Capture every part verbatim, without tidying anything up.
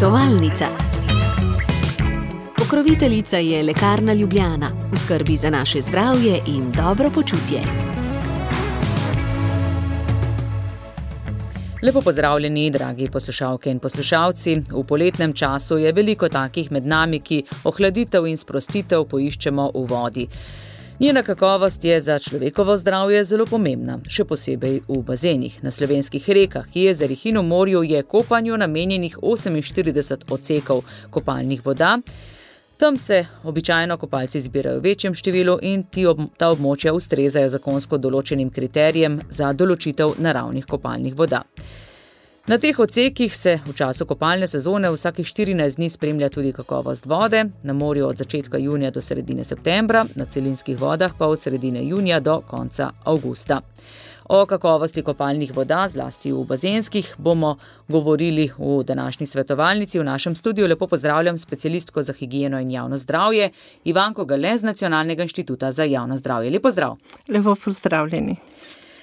Svetovalnica. Pokroviteljica je Lekarna Ljubljana, v skrbi za naše zdravje in dobro počutje. Lepo pozdravljeni, dragi poslušalke in poslušalci. V poletnem času je veliko takih med nami, ki ohladitev in sprostitev poiščemo v vodi. Njena kakovost je za človekovo zdravje zelo pomembna, še posebej v bazenih. Na slovenskih rekah, jezerih in v morju je kopanju namenjenih oseminštirideset odsekov kopalnih voda. Tam se običajno kopalci zbirajo v večjem številu in ti ob, ta območja ustrezajo zakonsko določenim kriterijem za določitev naravnih kopalnih voda. Na teh odsekih se v času kopalne sezone vsakih štirinajst dni spremlja tudi kakovost vode, na morju od začetka junija do sredine septembra, na celinskih vodah pa od sredine junija do konca avgusta. O kakovosti kopalnih voda, zlasti v bazenskih, bomo govorili v današnji svetovalnici. V našem studiu lepo pozdravljam specialistko za higieno in javno zdravje, Ivanko Gale z Nacionalnega inštituta za javno zdravje. Lep pozdrav. Lepo pozdravljeni.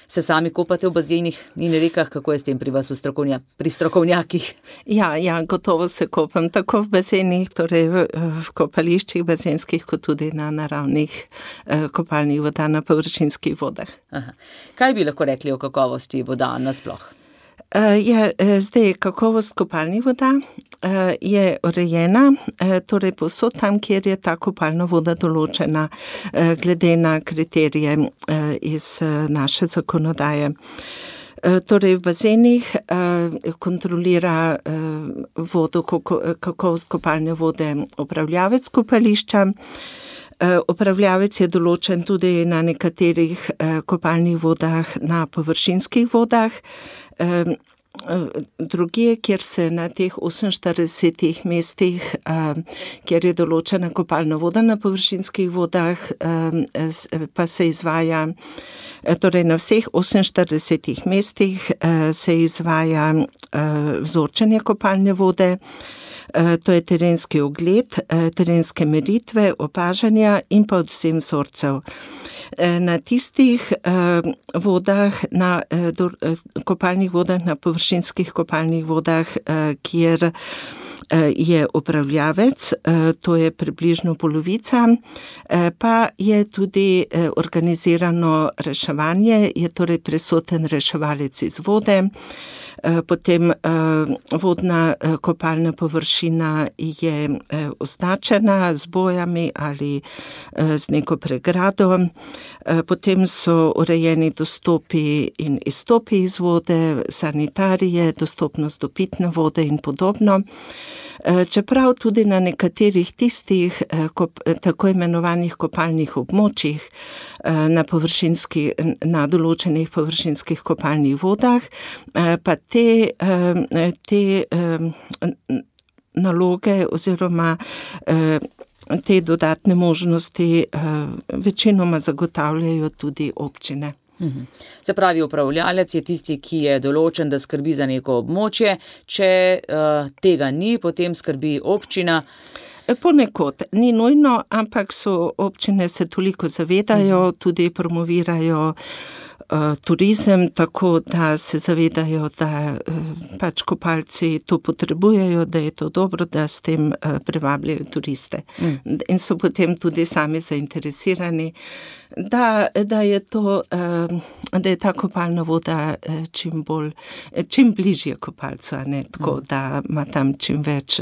Se sami kopate v bazenih in rekah, kako je s tem pri vas v strokovnja, pri strokovnjakih? Ja, ja, gotovo se kopam tako v bazenih, torej v, v kopališčih bazenskih, kot tudi na naravnih eh, kopalnih voda, na površinskih vodah. Aha. Kaj bi lahko rekli o kakovosti voda nasploh? Uh, je, zdaj, kakovost kopalnih voda uh, je urejena, uh, torej povsod tam, kjer je ta kopalna voda določena uh, glede na kriterije uh, iz uh, naše zakonodaje. Uh, torej v bazenih uh, kontrolira uh, vodo, kako, kakovost kopalne vode upravljavec kopališča. Uh, upravljavec je določen tudi na nekaterih uh, kopalnih vodah, na površinskih vodah. Uh, Drugje, kjer se na teh oseminštiridesetih mestih, uh, kjer je določena kopalna voda na površinskih vodah, uh, pa se izvaja, torej na vseh oseminštiridesetih mestih uh, se izvaja uh, vzorčenje kopalne vode. Uh, to je terenski ogled, uh, terenske meritve, opažanja in pa odvzem vzorcev. Na tistih uh, vodah, na uh, do, uh, kopalnih vodah, na površinskih kopalnih vodah, uh, kjer uh, je upravljavec, uh, to je približno polovica, uh, pa je tudi uh, organizirano reševanje, je torej prisoten reševalec iz vode. Potem vodna kopalna površina je označena z bojami ali z neko pregrado. Potem so urejeni dostopi in izstopi iz vode, sanitarije, dostopnost do pitne vode in podobno. Čeprav tudi na nekaterih tistih tako imenovanih kopalnih območjih na, na določenih površinskih kopalnih vodah, pa te, te naloge oziroma te dodatne možnosti večinoma zagotavljajo tudi občine. Se pravi, upravljalec je tisti, ki je določen, da skrbi za neko območje. Če uh, tega ni, potem skrbi občina. Ponekod ni nujno, ampak so občine se toliko zavedajo, tudi promovirajo uh, turizem, tako da se zavedajo, da uh, pač kopalci to potrebujejo, da je to dobro, da s tem uh, privabljajo turiste. Mm. In so potem tudi sami zainteresirani, Da, da je to, da je ta kopalna voda čim bolj, čim bližje kopalcu, a ne tako, da ima tam čim več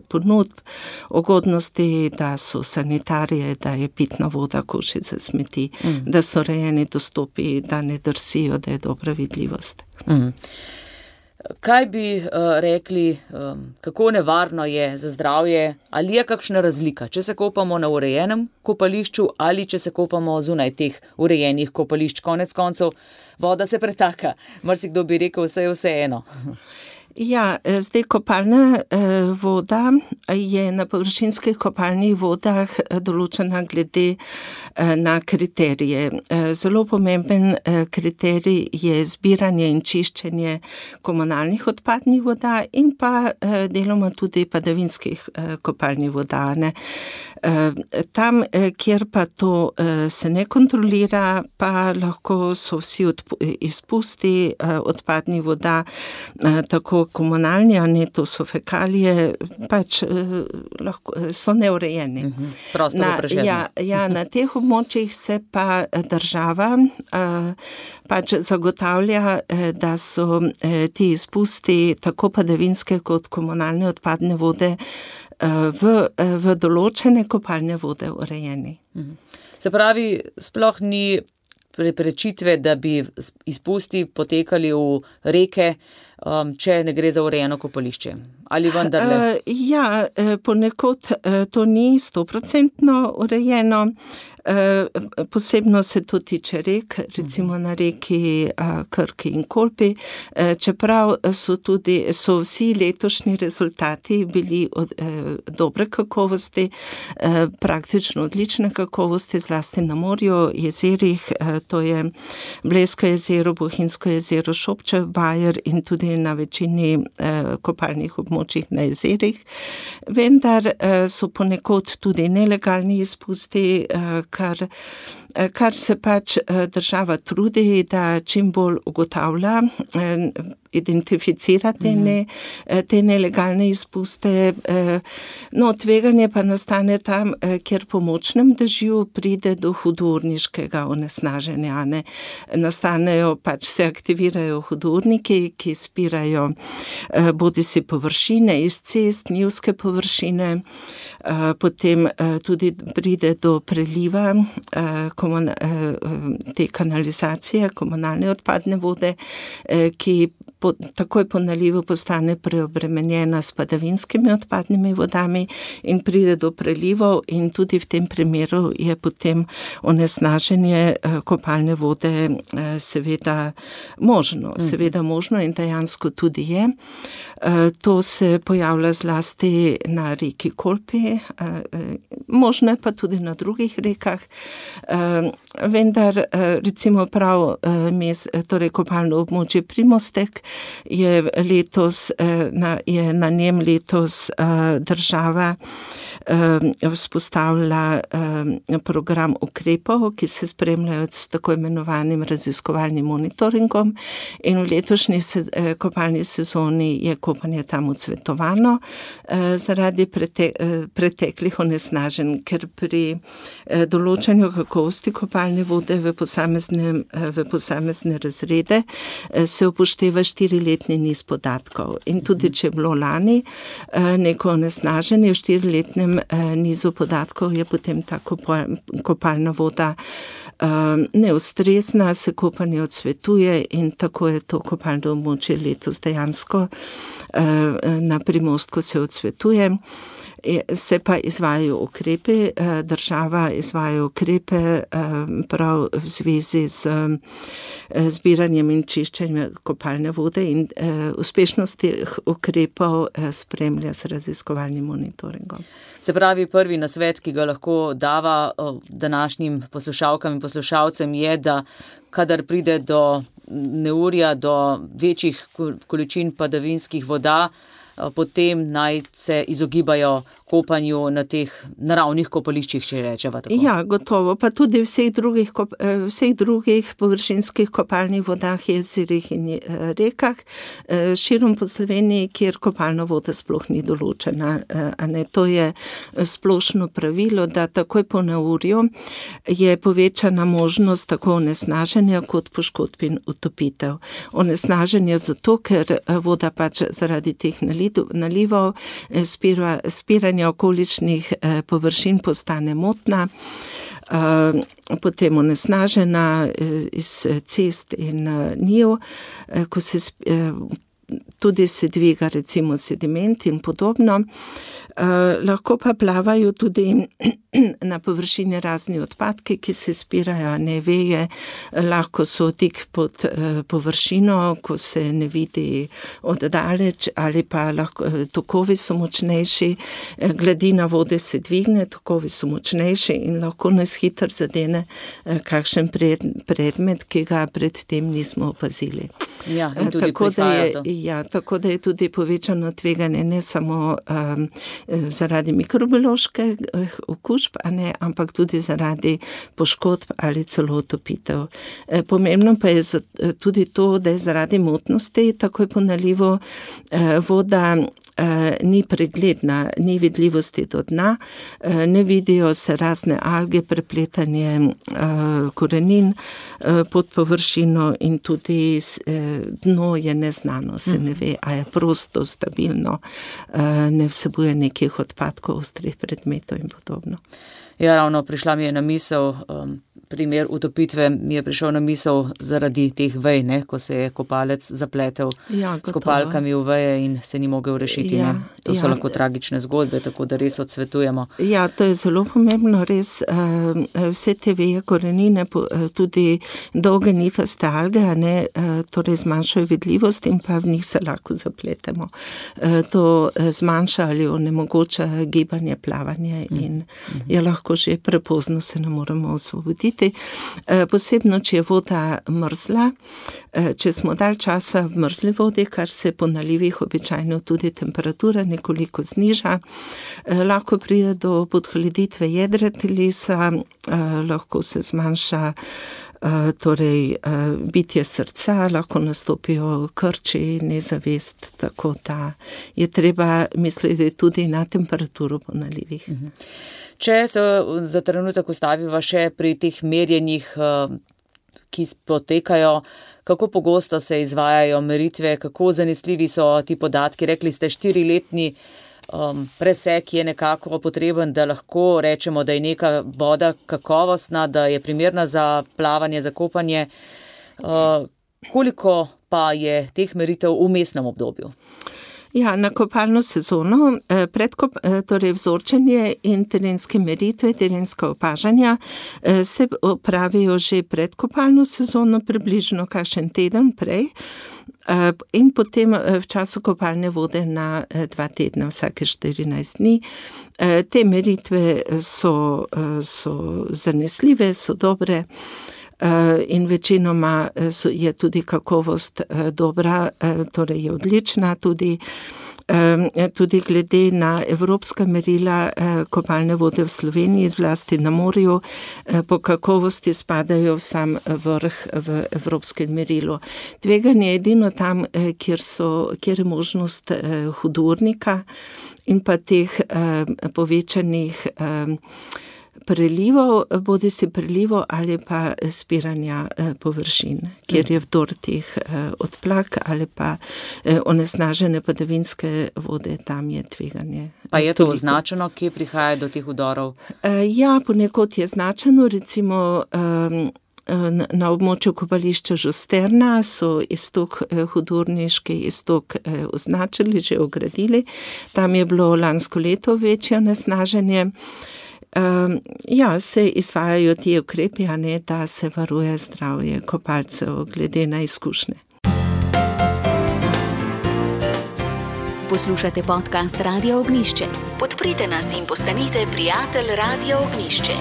ponudb, ugodnosti, da so sanitarije, da je pitna voda, koši za smeti, mm. da so rejeni dostopi, da ne drsijo, da je dobra vidljivost. Mm. Kaj bi uh, rekli, um, kako nevarno je za zdravje, ali je kakšna razlika, če se kopamo na urejenem kopališču ali če se kopamo zunaj teh urejenih kopališč? Konec koncev, voda se pretaka. Marsikdo bi rekel, vse je vse eno. Ja, zdaj kopalna eh, voda je na površinskih kopalnih vodah določena glede na kriterije. Zelo pomemben kriterij je zbiranje in čiščenje komunalnih odpadnih voda in pa deloma tudi padavinskih kopalnih voda. Ne. Tam, kjer pa to se ne kontrolira, pa lahko so vsi izpusti odpadnih voda, tako komunalni, a ne, to so fekalije, pač lahko, so neurejeni. Prosto na, vprašanje. Ja, ja, na teh območjih se pa država pač zagotavlja, da so ti izpusti tako padavinske kot komunalne odpadne vode v, v določene kopalne vode urejeni. Se pravi, sploh ni preprečitve, da bi izpusti potekali v reke, če ne gre za urejeno kopališče. Ali vendarle? Ja, ponekod to ni stoprocentno urejeno. Posebno se to tiče rek, recimo na reki Krki in Kolpi, čeprav so tudi, so vsi letošnji rezultati bili od, dobre kakovosti, praktično odlične kakovosti, zlasti na morju, jezerih, to je Blejsko jezero, Bohinjsko jezero, Šobčev bajer in tudi na večini kopalnih območjih na jezerih. Vendar so ponekod tudi nelegalni izpusti, kar, kar se pač država trudi, da čim bolj ugotavlja, identificira te, ne, te nelegalne izpuste. No, tveganje pa nastane tam, kjer po močnem dežju pride do hudourniškega onesnaženja. Ne. Nastanejo, pač se aktivirajo hudourniki, ki spirajo bodisi površine iz cest, njivske površine, potem tudi pride do preliva te kanalizacije, komunalne odpadne vode, ki po, takoj po nalivu postane preobremenjena s padavinskimi odpadnimi vodami in pride do prelivov in tudi v tem primeru je potem onesnaženje kopalne vode seveda možno. Seveda možno in dejansko tudi je. To se pojavlja zlasti na reki Kolpi, možno je pa tudi na drugih rekah, vendar recimo prav mes, torej kopalno območje Primostek je letos, je na njem letos država vzpostavila program ukrepov, ki se spremljajo s tako imenovanim raziskovalnim monitoringom in v letošnji kopalni sezoni je kopanje tam odsvetovano zaradi prete, preteklih onesnaženj, ker pri določanju kakovosti kopalne vode v posamezne, v posamezne razrede se upošteva štiriletni niz podatkov. In tudi, če je bilo lani neko onesnaženje v štiriletnem nizu podatkov, je potem ta kopalna voda neustrezna, se kopanje odsvetuje in tako je to kopalno območje letos dejansko na Primostku se odsvetuje. Se pa izvajajo ukrepe, država izvaja ukrepe prav v zvezi z zbiranjem in čiščenjem kopalne vode in uspešnost teh ukrepov spremlja z raziskovalnim monitoringom. Se pravi, prvi nasvet, ki ga lahko dava današnjim poslušalkam in poslušalcem je, da kadar pride do neurja, do večjih količin padavinskih voda, potem naj se izogibajo kopanju na teh naravnih kopališčih, če rečeva tako. Ja, gotovo, pa tudi vseh drugih, vseh drugih površinskih kopalnih vodah, jezerih in rekah, širom po Sloveniji, kjer kopalna voda sploh ni določena. A ne, to je splošno pravilo, da takoj po neurju je povečana možnost tako onesnaženja kot poškodb in utopitev. Onesnaženja zato, ker voda pač zaradi teh nalivov, spira, spiranja okoličnih površin postane motna, potem onesnažena iz cest in njiv, ko se tudi se dviga recimo sediment in podobno. Lahko pa plavajo tudi na površini razni odpadki, ki se spirajo, ne veje, lahko so tik pod površino, ko se ne vidi oddaleč, ali pa lahko, tokovi so močnejši, gladina vode se dvigne, tokovi so močnejši in lahko nas hitro zadene kakšen pred, predmet, ki ga predtem nismo opazili. Ja, in tudi tako, da je, to. ja, tako da je tudi povečano tveganje ne samo um, zaradi mikrobioloških okužb, a ne, ampak tudi zaradi poškodb ali celo utopitev. E, pomembno pa je tudi to, da je zaradi motnosti takoj po nalivu e, voda e, ni pregledna, ni vidljivosti do dna, e, ne vidijo se razne alge, prepletanje e, korenin e, pod površino in tudi e, dno je neznano, se ne ve, a je prosto, stabilno, ne vsebuje nekih odpadkov, ostrih predmetov in podobno. Ja, ravno prišla mi je na misel, um, primer utopitve mi je prišel na misel zaradi teh vej, ne, ko se je kopalec zapletel ja, s kopalkami v veje in se ni mogel rešiti. Ja, to so ja. lahko tragične zgodbe, tako da res odsvetujemo. Ja, to je zelo pomembno, res vse te veje, korenine, tudi dolge nitaste alge, ne, torej zmanjšajo vidljivost in pa v njih se lahko zapletemo. To zmanjša ali onemogoča gibanje, plavanje in mm. je lahko že prepozno se ne moremo osvoboditi. Posebno, če je voda mrzla, če smo dalj časa v mrzli vodi, kar se po nalivih običajno tudi temperatura nekoliko zniža, lahko pride do podhladitve jedra telesa, lahko se zmanjša torej bitje srca, lahko nastopijo krči, nezavest, tako da je treba misliti tudi na temperaturo po nalivih. Če se za trenutek ustaviva še pri teh merjenjih, ki potekajo, kako pogosto se izvajajo meritve, kako zanesljivi so ti podatki? Rekli ste, štiriletni um, presek je nekako potreben, da lahko rečemo, da je neka voda kakovostna, da je primerna za plavanje, za kopanje. Uh, koliko pa je teh meritev v vmesnem obdobju? Ja, na kopalno sezono, predkop, torej vzorčenje in terenske meritve, terenska opažanja se opravijo že pred kopalno sezono, približno kakšen teden prej in potem v času kopalne vode na dva tedna, vsake štirinajst dni. Te meritve so, so zanesljive, so dobre. In večinoma je tudi kakovost dobra, torej je odlična, tudi, tudi glede na evropska merila kopalne vode v Sloveniji, zlasti na morju, po kakovosti spadajo v sam vrh v evropskem merilu. Tveganje je edino tam, kjer, so, kjer je možnost hudournika in pa teh povečanih prelivov, bodi si prelivov ali pa spiranja površin, kjer je vdor teh odplak ali pa onesnažene padavinske vode, tam je tveganje. Pa je to označeno, kje prihaja do teh vdorov? Ja, ponekod je značeno, recimo na območju kopališča Žusterna so istok, hudorniški istok označili, že ogradili. Tam je bilo lansko leto večje onesnaženje. Um, ja, se izvajajo ti ukrepi, a ne, da se varuje zdravje kopalcev glede na izkušnje. Poslušate podcast Radio Ognjišče. Podprite nas in postanite prijatelj Radio Ognjišče.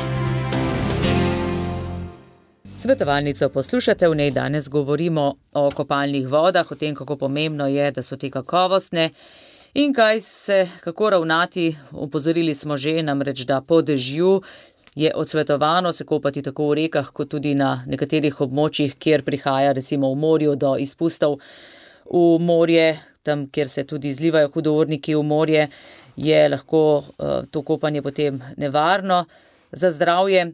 Svetovalnico poslušate, v njej danes govorimo o kopalnih vodah, o tem, kako pomembno je, da so te kakovostne. In kaj se, kako ravnati, opozorili smo že, namreč, da po dežju je odsvetovano se kopati tako v rekah, kot tudi na nekaterih območjih, kjer prihaja recimo v morju do izpustov v morje, tam, kjer se tudi izlivajo hudourniki v morje, je lahko uh, to kopanje potem nevarno za zdravje.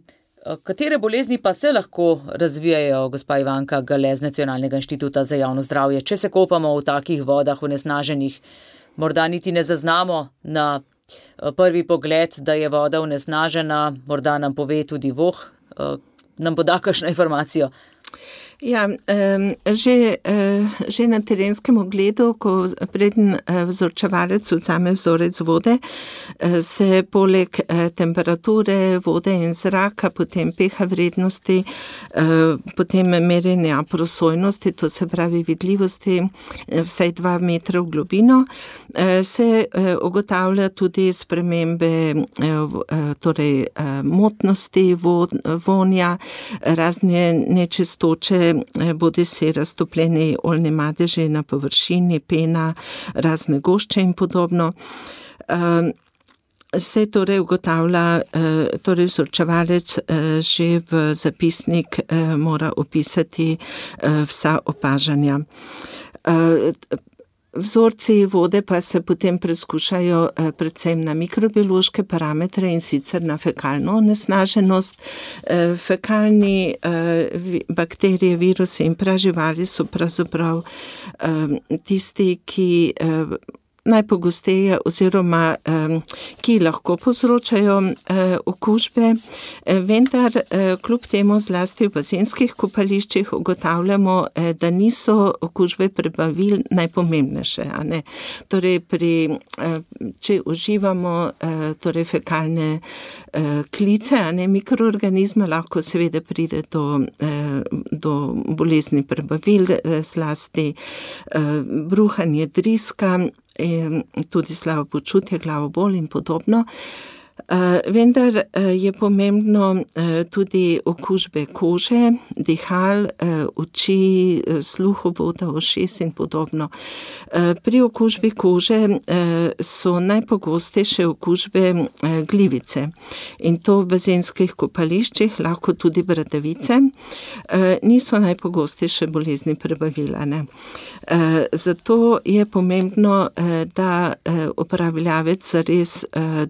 Katere bolezni pa se lahko razvijajo, gospa Ivanka Gale z Nacionalnega inštituta za javno zdravje, če se kopamo v takih vodah onesnaženih? Morda niti ne zaznamo na prvi pogled, da je voda onesnažena, morda nam pove tudi voh, nam poda kakšno informacijo. Ja, že, že na terenskem ogledu, ko preden vzorčevalec vzame vzorec vode, se poleg temperature vode in zraka, potem pH vrednosti, potem merjenja prosojnosti, to se pravi vidljivosti, vsaj dva metra v globino, se ugotavlja tudi spremembe, torej motnosti, vonja, razne nečistoče, bodi si raztopljeni oljni madeži na površini, pena, razne gošče in podobno. Se torej ugotavlja, torej vzorčevalec že v zapisnik mora opisati vsa opažanja. Vzorci vode pa se potem preskušajo predvsem na mikrobiološke parametre in sicer na fekalno onesnaženost. Fekalni bakterije, virusi in praživali so pravzaprav tisti, ki najpogosteje oziroma ki lahko povzročajo okužbe, vendar kljub temu zlasti v bazenskih kopališčih ugotavljamo, da niso okužbe prebavil najpomembnejše. A ne? Torej, pri, če uživamo torej fekalne klice, a ne mikroorganizme, lahko seveda pride do, do bolezni prebavil, zlasti bruhanje, driska, tudi slabo počutje, glavobol in podobno. Vendar je pomembno tudi okužbe kože, dihal, oči, sluhovoda, ušes in podobno. Pri okužbi kože so najpogostejše okužbe glivice in to v bazenskih kopališčih, lahko tudi bradavice, niso najpogostejše bolezni prebavila. Ne? Zato je pomembno, da upravljavec res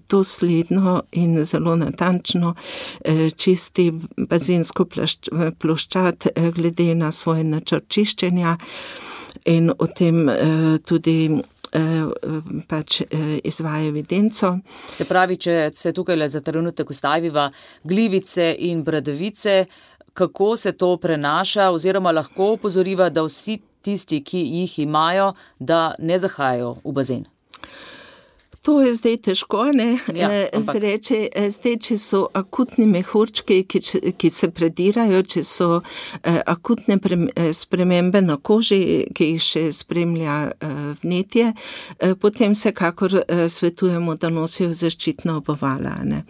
dosledno in zelo natančno čisti bazensko ploščad glede na svoj načrt čiščenja in o tem tudi pač izvaja evidenco. Se pravi, če se tukaj za trenutek ustaviva glivice in bradavice, kako se to prenaša oziroma lahko opozoriva, da vsi tisti, ki jih imajo, da ne zahajajo v bazen? To je zdaj težko, ne, ja, zreče, zdaj, če so akutni mehurčki, ki, ki se predirajo, če so eh, akutne pre, spremembe na koži, ki jih še spremlja eh, vnetje, eh, potem vsekakor eh, svetujemo, da nosijo zaščitna obuvala, ne.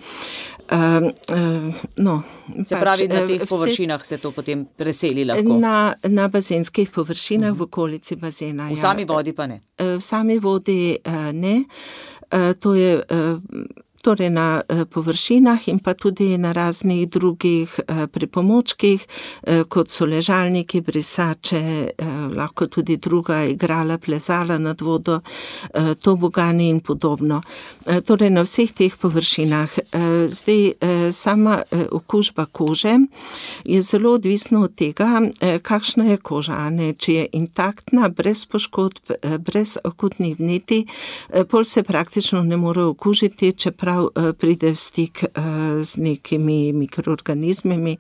Uh, uh, no, se pravi, pač, na teh vse, površinah se to potem preseli lahko? Na, na bazenskih površinah, uh-huh. v okolici bazena. V ja. sami vodi pa ne? V sami vodi uh, ne. Uh, to je uh, torej na površinah in pa tudi na raznih drugih pripomočkih, kot so ležalniki, brisače, lahko tudi druga igrala, plezala nad vodo, tobogani in podobno. Torej na vseh teh površinah. Zdaj, sama okužba kože je zelo odvisna od tega, kakšna je koža, ne? Če je intaktna, brez poškodb, brez akutnih vnetij, pol se praktično ne more okužiti, čeprav pride v stik z nekimi mikroorganizmimi,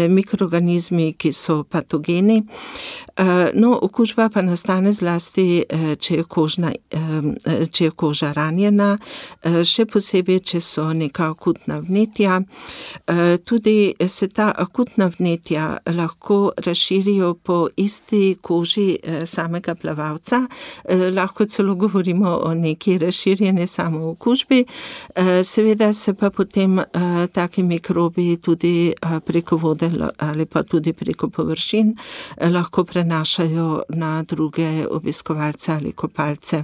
mikroorganizmi, ki so patogeni. No, okužba pa nastane zlasti, če je, kožna, če je koža ranjena, še posebej, če so neka akutna vnetja. Tudi se ta akutna vnetja lahko razširijo po isti koži samega plavalca. Lahko celo govorimo o neki razširjeni samookužbi. Seveda se pa potem uh, taki mikrobi tudi uh, preko vode ali pa tudi preko površin uh, lahko prenašajo na druge obiskovalce ali kopalce.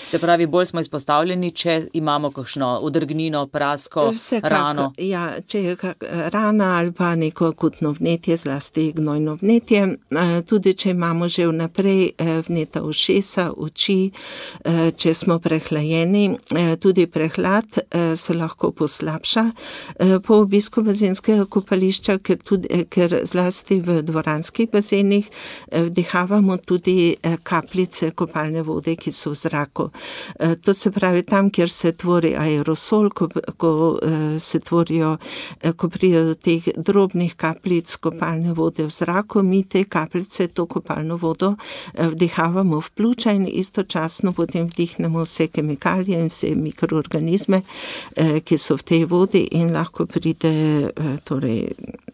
Se pravi, bolj smo izpostavljeni, če imamo kakšno odrgnino, prasko, Vsekak, rano. Ja, če je kak, rana ali pa neko akutno vnetje, zlasti gnojno vnetje, uh, tudi če imamo že vnaprej uh, vneta ušesa, oči, uh, če smo prehlajeni, uh, tudi prehlad, uh, se lahko poslabša po obisku bazenskega kopališča, ker, tudi, ker zlasti v dvoranskih bazenih vdihavamo tudi kapljice kopalne vode, ki so v zraku. To se pravi tam, kjer se tvori aerosol, ko, ko se tvorijo, ko pride do teh drobnih kapljic kopalne vode v zraku, mi te kapljice, to kopalno vodo vdihavamo v pljuča in istočasno potem vdihnemo vse kemikalije in vse mikroorganizme, ki so v tej vodi in lahko pride torej,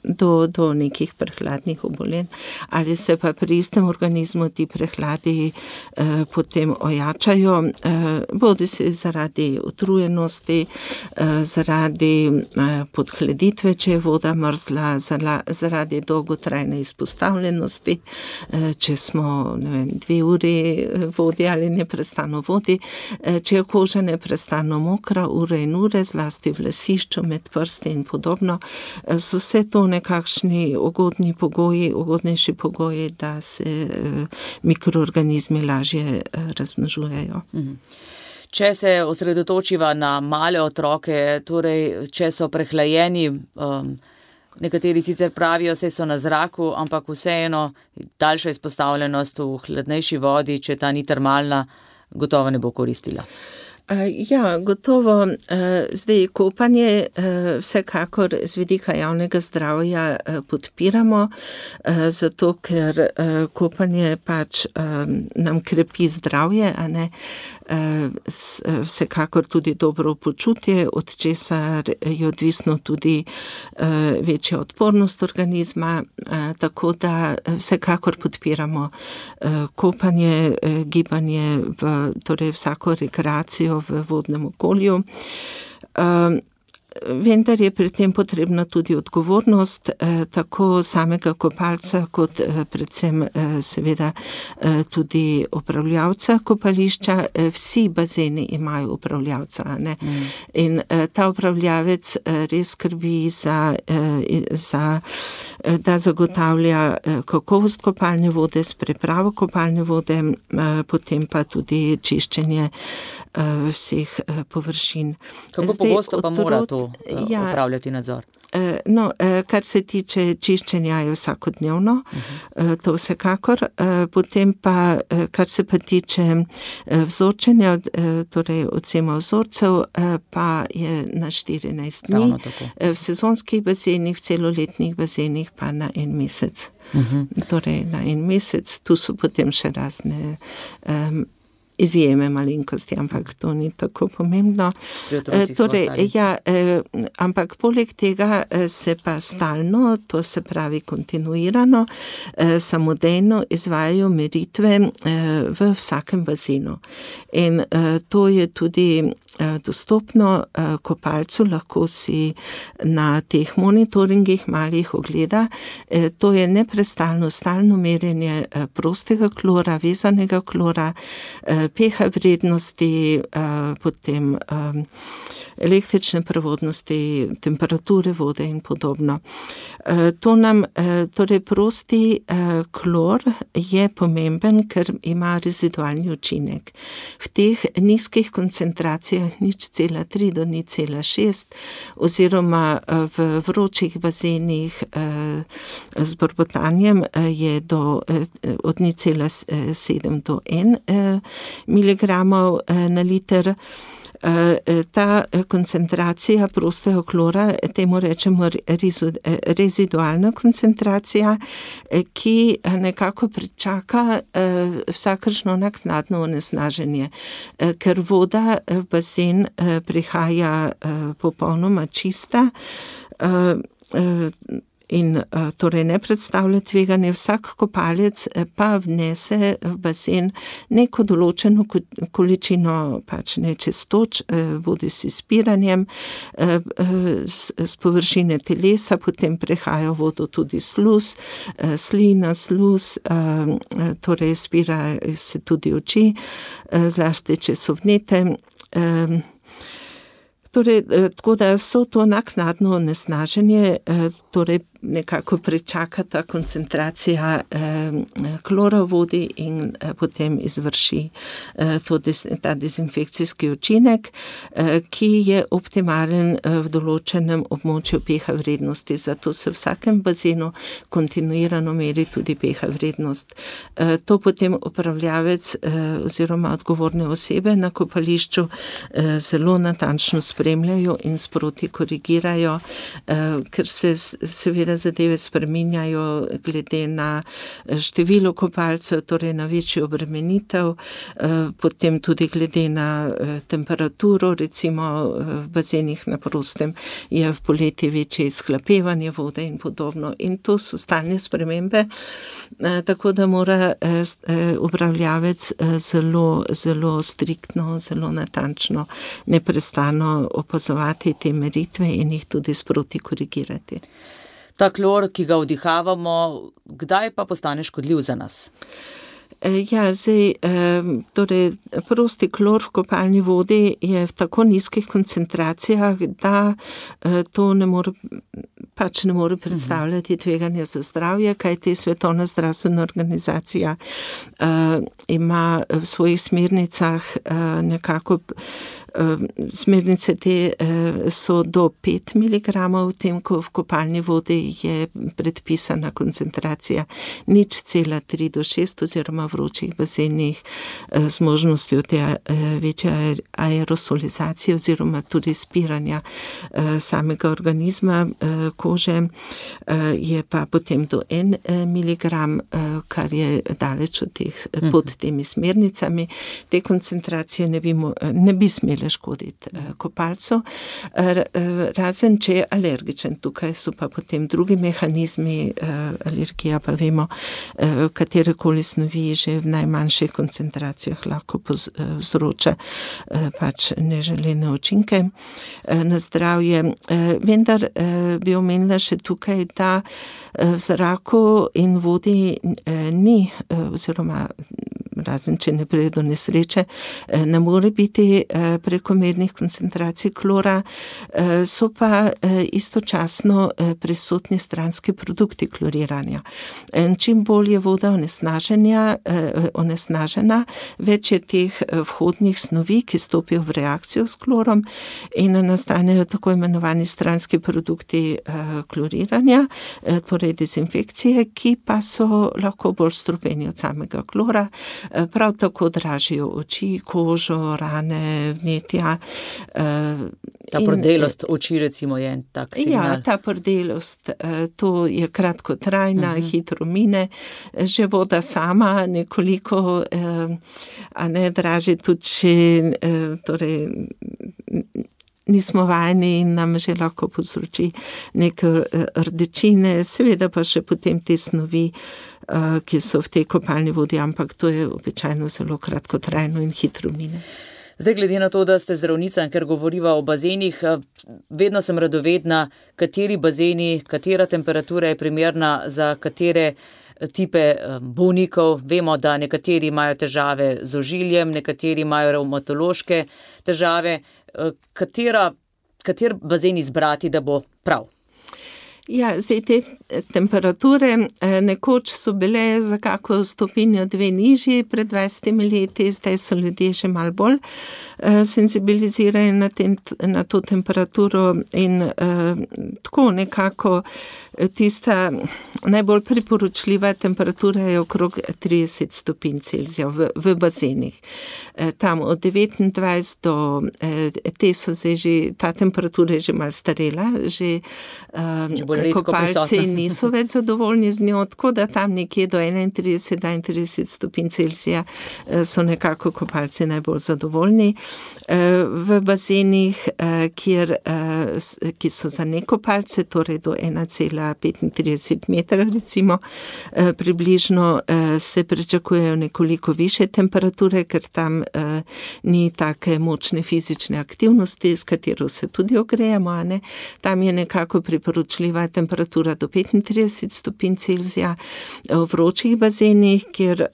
do, do nekih prehladnih obolenj. Ali se pa pri istem organizmu ti prehladi eh, potem ojačajo, eh, bodi se zaradi utrujenosti, eh, zaradi eh, podhladitve, če je voda mrzla, zala, zaradi dolgotrajne izpostavljenosti, eh, če smo ne vem, dve uri vodi ali neprestano vodi, eh, če je koža neprestano mokra, ure in ure, zlasti v lasišču, med prsti in podobno, eh, so vse to nekakšni ugodni pogoji, ugodnejši pogoji, da se eh, mikroorganizmi lažje eh, razmnožujejo. Mhm. Če se osredotočiva na male otroke, torej če so prehlajeni, um, nekateri sicer pravijo, saj so na zraku, ampak vseeno daljša izpostavljenost v hladnejši vodi, če ta ni termalna, gotovo ne bo koristila. Ja, gotovo. Zdaj, kopanje vsekakor z vidika javnega zdravja podpiramo, zato ker kopanje pač nam krepi zdravje, a ne, vsekakor tudi dobro počutje, od česar je odvisno tudi večja odpornost organizma, tako da vsekakor podpiramo kopanje, gibanje v torej vsako rekreacijo v vodnem okolju. Vendar je pri tem potrebna tudi odgovornost eh, tako samega kopalca kot eh, predvsem eh, seveda eh, tudi upravljavca kopališča. Eh, vsi bazeni imajo upravljavca, ne? Mm. In eh, ta upravljavec eh, res skrbi za, eh, za eh, da zagotavlja eh, kakovost kopalne vode s pripravo kopalne vode, eh, potem pa tudi čiščenje eh, vseh eh, površin. Kako Zdaj, pogosto pa mora to Ja, upravljati nadzor? No, kar se tiče čiščenja je vsakodnevno, uh-huh. to vsekakor, potem pa, kar se pa tiče vzorčenja, torej odsema vzorcev, pa je na štirinajst dni, v sezonskih bazenih, v celoletnih bazenih pa na en mesec. Uh-huh. Torej na en mesec, tu so potem še razne um, izjeme malenkosti, ampak to ni tako pomembno. Torej, ja, eh, ampak poleg tega se pa stalno, to se pravi kontinuirano, eh, samodejno izvajajo meritve eh, v vsakem bazenu. In eh, to je tudi eh, dostopno eh, kopalcu, lahko si na teh monitoringih malih ogleda. Eh, to je neprestalno, stalno merjenje eh, prostega klora, vezanega klora, eh, pH vrednosti, potem električne prevodnosti, temperature vode in podobno. To nam, torej prosti klor je pomemben, ker ima rezidualni učinek. V teh nizkih koncentracijah nič cela tri do nič cela šest oziroma v vročih bazenih z borbotanjem je do, od nič cela sedem do en miligramov na liter. Ta koncentracija prostega klora, temu rečemo rezidualna koncentracija, ki nekako pričaka vsakršno naknadno onesnaženje, ker voda v bazen prihaja popolnoma čista in torej ne predstavlja tveganje. Vsak kopalec pa vnese v bazen neko določeno količino pač nečistoč, bodi si s piranjem, z površine telesa, potem prehaja vodo tudi sluz, slina, sluz, torej spira se tudi oči, zlasti če so vnete. Torej, tako da vso to naknadno onesnaženje torej nekako prečaka ta koncentracija klora v vodi in potem izvrši to, ta dezinfekcijski učinek, ki je optimalen v določenem območju pH vrednosti. Zato se v vsakem bazenu kontinuirano meri tudi pH vrednost. To potem upravljavec oziroma odgovorne osebe na kopališču zelo natančno spremljajo in sproti korigirajo, ker se seveda zadeve spreminjajo glede na število kopalcev, torej na večjo obremenitev, potem tudi glede na temperaturo, recimo v bazenih na prostem je v poleti večje izhlapevanje vode in podobno. In to so stalne spremembe, tako da mora upravljavec zelo, zelo striktno, zelo natančno, neprestano opazovati te meritve in jih tudi sproti korigirati. Ta klor, ki ga vdihavamo, kdaj pa postane škodljiv za nas? Ja, zdaj, torej, prosti klor v kopalni vodi je v tako nizkih koncentracijah, da to ne more, pač ne more predstavljati tveganja za zdravje, kajti Svetovna zdravstvena organizacija ima v svojih smernicah nekako smernice te so do pet miligramov, v tem, ko v kopalni vodi je predpisana koncentracija nič cela tri do šest oziroma vročih bazenih z možnostjo te večje aerosolizacije oziroma tudi spiranja samega organizma kože, je pa potem do en miligram, kar je daleč od teh, pod temi smernicami. Te koncentracije ne bi, ne bi smele škoditi kopalcu, razen če je alergičen. Tukaj so pa potem drugi mehanizmi, alergija pa vemo, katerekoli snovi že v najmanjših koncentracijah lahko povzroča pač neželene učinke na zdravje. Vendar bi omenila še tukaj, da v zraku in vodi ni, oziroma razen če ne pride do nesreče, ne more biti prekomernih koncentracij klora, so pa istočasno prisotni stranski produkti kloriranja. Čim bolj je voda onesnažena, več je teh vhodnih snovi, ki stopijo v reakcijo s klorom in nastanejo tako imenovani stranski produkti kloriranja, torej dezinfekcije, ki pa so lahko bolj strupeni od samega klora. Prav tako dražijo oči, kožo, rane, vnetja. Ta prdelost oči recimo je en tak signal. Ja, ta prdelost, to je kratkotrajna, uh-huh. hitro mine. Že voda sama nekoliko, a ne draži tudi, če torej, nismo vajeni in nam že lahko povzroči neke rdečine, seveda pa še potem te snovi, ki so v tej kopalni vodi, ampak to je običajno zelo kratkotrajno in hitro mine. Zdaj, glede na to, da ste zdravnica in ker govoriva o bazenih, vedno sem radovedna, kateri bazeni, katera temperatura je primerna za katere tipe bolnikov. Vemo, da nekateri imajo težave z ožiljem, nekateri imajo revmatološke težave. Katera, kater bazen izbrati, da bo prav? Ja, zdaj te temperature nekoč so bile za kako stopinjo dve nižji pred dvajsetimi leti, zdaj so ljudje že malo bolj senzibilizirani na, tem, na to temperaturo in eh, tako nekako tista najbolj priporočljiva temperatura je okrog trideset stopinj Celzija v, v bazenih. Tam od devetindvajset do, te so zdaj že, ta temperatura je že malo starela, že, že kopalci niso več zadovoljni z njo, tako da tam nekje do enaintrideset do dvaintrideset stopinj Celzija so nekako kopalci najbolj zadovoljni. V bazenih, kjer, ki so za nekopalce, torej do ena cela petintrideset metra recimo, približno se pričakujejo nekoliko više temperature, ker tam ni take močne fizične aktivnosti, s katero se tudi ogrejemo, a ne? Tam je nekako priporočljiva je temperatura do petintrideset stopinj Celzija, v vročih bazenih, kjer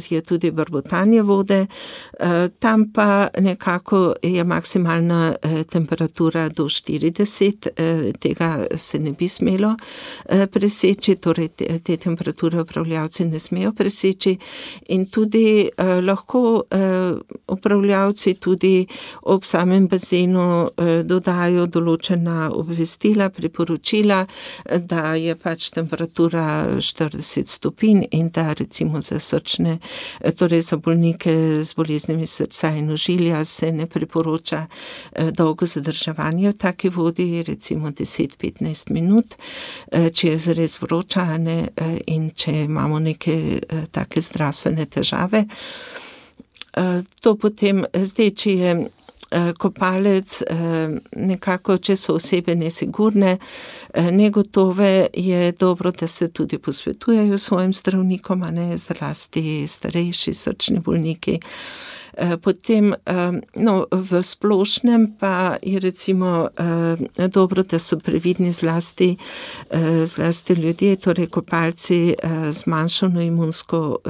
je tudi brbotanje vode, tam pa nekako je maksimalna temperatura do štirideset, tega se ne bi smelo preseči, torej te, te temperature upravljavci ne smejo preseči in tudi lahko upravljavci tudi ob samem bazenu dodajo določena obvestila, priporočila, da je pač temperatura štirideset stopinj in da recimo za srčne, torej za bolnike z boleznimi srca in ožilja se ne priporoča dolgo zadrževanje v taki vodi, recimo deset do petnajst minut, če je zares vroča, ne, in če imamo neke take zdravstvene težave. To potem, zdaj, če je kopalec, nekako, če so osebe nesigurne, negotove, je dobro, da se tudi posvetujejo svojim zdravnikom, a ne, zlasti starejši srčni bolniki. Potem, no, v splošnem pa je recimo dobro, da so previdni zlasti, zlasti ljudje, torej kopalci z manjšano imunsko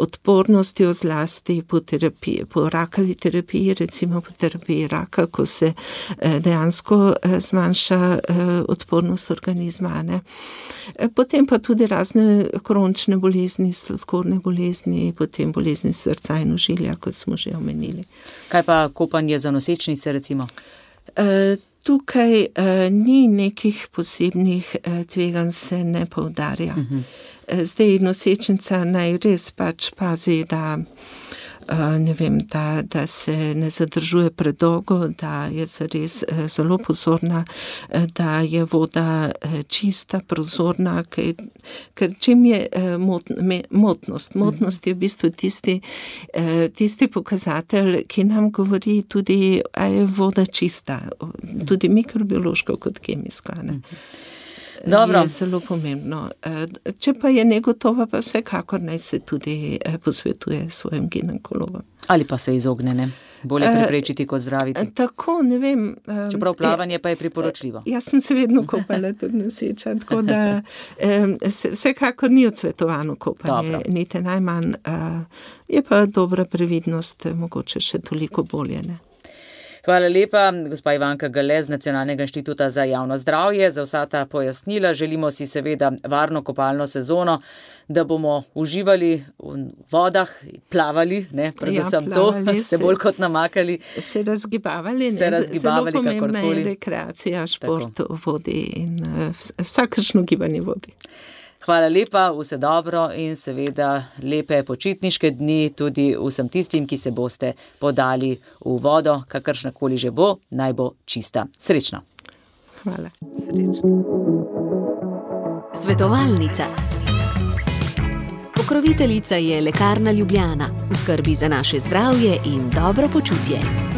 odpornostjo, zlasti po terapiji, po rakavi terapiji, recimo po terapiji raka, ko se dejansko zmanjša odpornost organizma, ne. Potem pa tudi razne kronične bolezni, sladkorne bolezni, potem bolezni srca in ožilja, kot smo že omenili. Kaj pa kopanje za nosečnice, recimo? E, tukaj e, ni nekih posebnih e, tveganj, se ne poudarja. Uh-huh. E, zdaj nosečnica naj res pač pazi, da ne vem, da, da se ne zadržuje predolgo, da je zares zelo pozorna, da je voda čista, prozorna, ker, ker čim je mot, motnost. Motnost je v bistvu tisti, tisti pokazatelj, ki nam govori tudi, a je voda čista, tudi mikrobiološko kot kemijsko, ne. Dobro. Je zelo pomembno. Če pa je negotova, pa vsekakor naj se tudi posvetuje svojim ginekologom. Ali pa se izogne, ne? Bolje preprečiti kot zdraviti. Tako, ne vem. Čeprav plavanje pa je priporočljivo. Jaz sem se vedno kopala tudi noseča, tako da vsekakor ni odsvetovano kopanje, Dobro. Niti najmanj. Je pa dobra previdnost, mogoče še toliko bolje, ne. Hvala lepa, gospa Ivanka Gale z Nacionalnega inštituta za javno zdravje. Za vsa ta pojasnila želimo si seveda varno kopalno sezono, da bomo uživali v vodah, plavali, ne, predvsem ja, plavali, to, se bolj kot namakali. Se razgibavali, ne, se razgibavali, zelo pomembna je rekreacija, šport Tako. v vodi in vsakršno gibanje vodi. Hvala lepa, vse dobro in seveda lepe počitniške dni tudi vsem tistim, ki se boste podali v vodo, kakršnakoli že bo, naj bo čista. Srečno. Hvala. Srečno. Svetovalnica. Pokroviteljica je Lekarna Ljubljana. V skrbi za naše zdravje in dobro počutje.